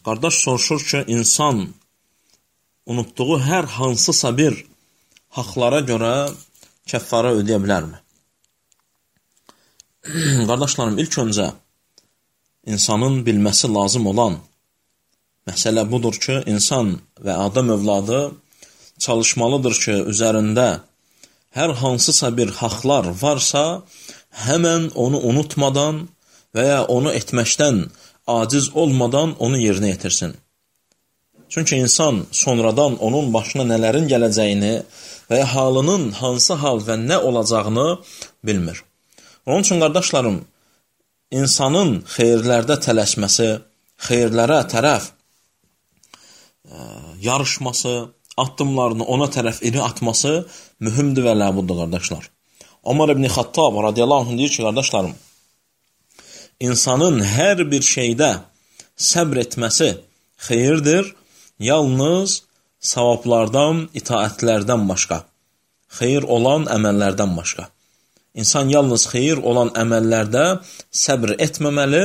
Qardaş soruşur ki, insan unutduğu hər hansısa bir haqlara görə kəffara ödeyə bilərmi? Qardaşlarım, ilk öncə insanın bilməsi lazım olan məsələ budur ki, insan və Adəm övladı çalışmalıdır ki, üzərində hər hansısa bir haqlar varsa, həmən onu unutmadan və ya onu etməkdən aciz olmadan onu yerinə yetirsin. Çünki insan sonradan onun başına nələrin gələcəyini və ya halının hansı hal və nə olacağını bilmir. Onun üçün, qardaşlarım, insanın xeyirlərdə tələsməsi, xeyirlərə tərəf yarışması, addımlarını ona tərəf iri atması mühümdür və ləbuddur, qardaşlar. Ömər ibn Xattab radiyallahu anh deyir ki, qardaşlarım, insanın hər bir şeydə səbr etməsi xeyirdir, yalnız savablardan, itaətlərdən başqa, xeyir olan əməllərdən başqa. İnsan yalnız xeyir olan əməllərdə səbr etməməli,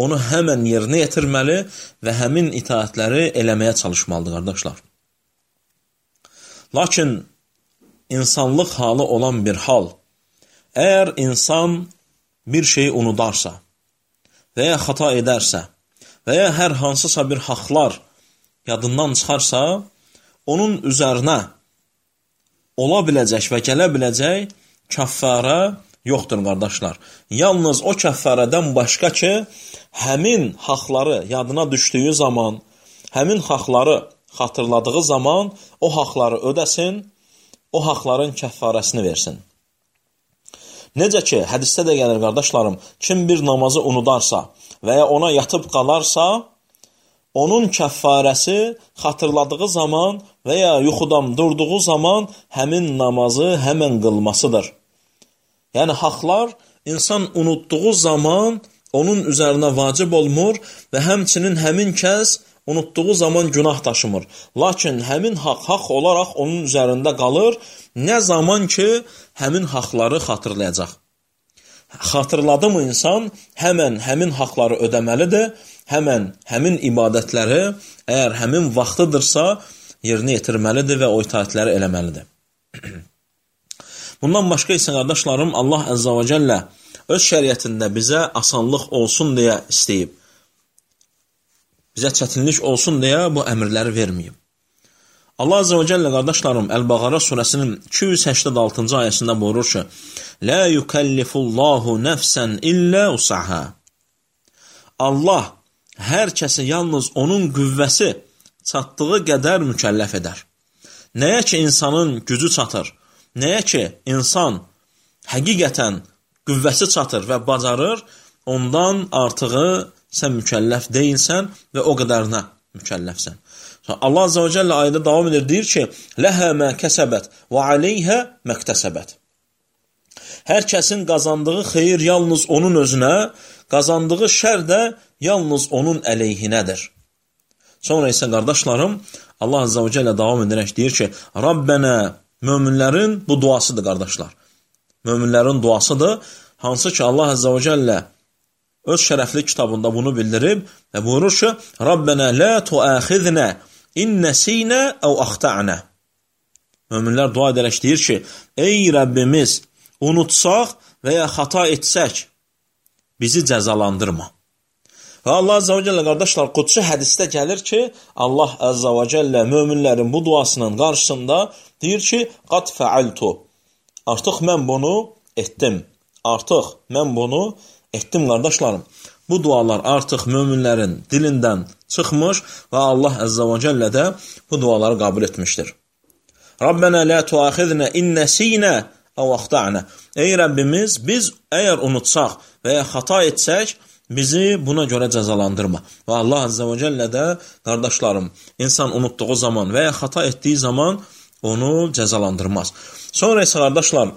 onu həmən yerinə yetirməli və həmin itaətləri eləməyə çalışmalıdır, qardaşlar. Lakin insanlıq halı olan bir hal, əgər insan bir şeyi unudarsa və ya xata edərsə və ya hər hansısa bir haqlar yadından çıxarsa, onun üzərinə ola biləcək və gələ biləcək kəffara yoxdur, qardaşlar. Yalnız o kəffarədən başqa ki, həmin haqları yadına düşdüyü zaman, həmin haqları xatırladığı zaman o haqları ödəsin, o haqların kəffarəsini versin. Necə ki, hədisdə də gəlir, qardaşlarım, kim bir namazı unudarsa və ya ona yatıb qalarsa, onun kəffarəsi xatırladığı zaman və ya yuxudan durduğu zaman həmin namazı həmən qılmasıdır. Yəni, haqlar insan unutduğu zaman onun üzərinə vacib olmur və həmçinin həmin kəs unutduğu zaman günah daşımır. Lakin həmin haqq olaraq onun üzərində qalır, nə zaman ki, həmin haqları xatırlayacaq. Xatırladı mı insan, həmin haqları ödəməlidir, həmin ibadətləri, əgər həmin vaxtıdırsa, yerinə yetirməlidir və o itaətləri eləməlidir. Bundan başqa isə, qardaşlarım, Allah Əzzə və Cəllə öz şəriətində bizə asanlıq olsun deyə istəyib. Bizə çətinlik olsun deyə bu əmrləri verməyib. Allah Əzzə və Cəllə, qardaşlarım, Əl-Bəqara surəsinin 286-cı ayəsində buyurur ki, Lə yükəllifullahu nəfsən illə usahə. Allah hər kəsi yalnız onun qüvvəsi çatdığı qədər mükəlləf edər. Nəyə ki, insanın gücü çatır, nəyə ki, insan həqiqətən qüvvəsi çatır və bacarır, ondan artığı sən mükəlləf deyilsən və o qədərinə mükəlləfsən. Allah Azze və Cəllə ayədə davam edir, deyir ki, Ləhə mə kəsəbət və aleyhə məktəsəbət. Hər kəsin qazandığı xeyir yalnız onun özünə, qazandığı şər də yalnız onun əleyhinədir. Sonra isə, qardaşlarım, Allah Azze və Cəllə davam edərək deyir ki, Rabbənə, möminlərin bu duasıdır, qardaşlar. Möminlərin duasıdır, hansı ki, Allah Azze və Cəllə öz şərəfli kitabında bunu bildirib və buyurur ki, Rabbənə lə tuəxiznə innəsinə əv axta'nə. Möminlər dua edərək deyir ki, ey Rəbbimiz, unutsaq və ya xata etsək, bizi cəzalandırma. Və Allah Əzzə və Cəllə, qardaşlar, qudsi hədisdə gəlir ki, Allah Əzzə və Cəllə möminlərin bu duasının qarşısında deyir ki, qad fəaltu. Artıq mən bunu etdim. Qardaşlarım. Bu dualar artıq möminlərin dilindən çıxmış və Allah Əzzə və Cəllə də bu duaları qəbul etmişdir. Rabbənə lə tuəxiznə innəsinə əv axta'nə. Ey Rəbbimiz, biz əgər unutsaq və ya xata etsək, bizi buna görə cəzalandırma. Və Allah Əzzə və Cəllə də, qardaşlarım, insan unutduğu zaman və ya xata etdiyi zaman onu cəzalandırmaz. Sonra isə, qardaşlar,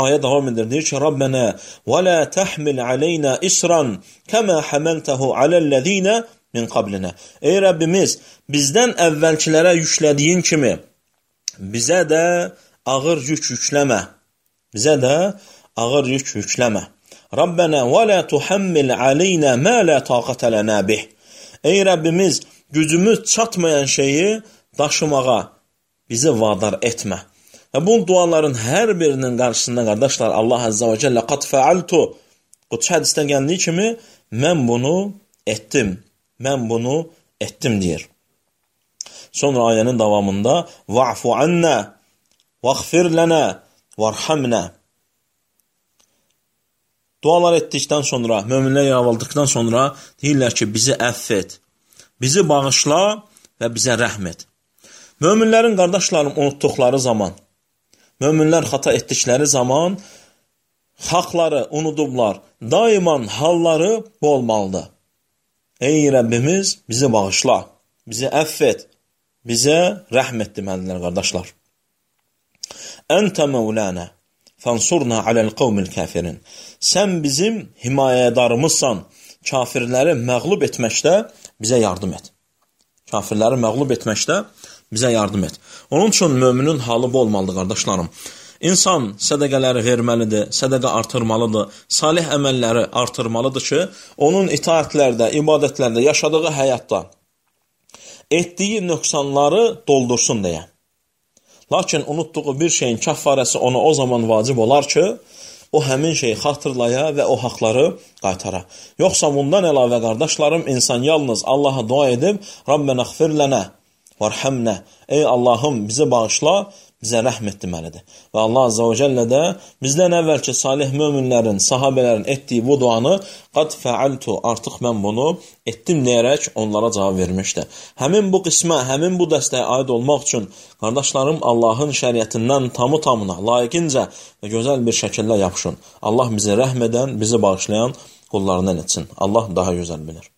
ayə davam edir, deyir ki, Rabbənə və lə təhmil aleynə isran kəmə həməltəhu aləl-ləzinə min qablinə. Ey Rəbbimiz, bizdən əvvəlkilərə yüklədiyin kimi bizə də ağır yük yükləmə. Rabbənə və lə tuhammil aleynə mə lə taqətə lənə bih. Ey Rəbbimiz, gücümüz çatmayan şeyi daşımağa bizi vadar etmə. Və bu duaların hər birinin qarşısında, qardaşlar, Allah Azza və Cəllə qad fəaltu, Qudsi hədisdə gəldiyi kimi, mən bunu etdim deyir. Sonra ayənin davamında va'fu annə, vəğfir lənə, vərhamnə. Dualar etdikdən sonra, möminlər yalvardıqdan sonra deyirlər ki, bizi əff et, bizi bağışla və bizə rəhm et. Möminlərin, qardaşlarım, unutduqları zaman, möminlər xata etdikləri zaman haqları unudublar. Daiman halları bu olmalıdır. Ey Rəbbimiz, bizi bağışla, bizi əff et, bizə rəhm et deməlilər, qardaşlar. Əntə məulənə, fənsurna aləl qavmil kafirin. Sən bizim himayədarımızsan, kafirləri məğlub etməkdə bizə yardım et. Kafirləri məğlub etməkdə bizə yardım et. Onun üçün müminin halı bu olmalıdır, qardaşlarım. İnsan sədəqələri verməlidir, sədəqə artırmalıdır, salih əməlləri artırmalıdır ki, onun itaətlərdə, ibadətlərdə, yaşadığı həyatda etdiyi nöqsanları doldursun deyə. Lakin unutduğu bir şeyin kəffarəsi ona o zaman vacib olar ki, o həmin şeyi xatırlaya və o haqları qaytara. Yoxsa bundan əlavə, qardaşlarım, insan yalnız Allaha dua edib, Rabbənə xfir lənə, vərhəmnə, ey Allahım, bizi bağışla, bizə rəhm et deməlidir. Və Allah Azza və Cəllə də bizdən əvvəlki salih möminlərin, sahabələrin etdiyi bu duanı qad fəaltu, artıq mən bunu etdim deyərək onlara cavab vermişdir. Həmin bu qismə, həmin bu dəstəyə aid olmaq üçün, qardaşlarım, Allahın şəriətindən tamı-tamına, layiqincə və gözəl bir şəkildə yapışın. Allah bizi rəhm edən, bizi bağışlayan qullarından etsin. Allah daha gözəl bilir.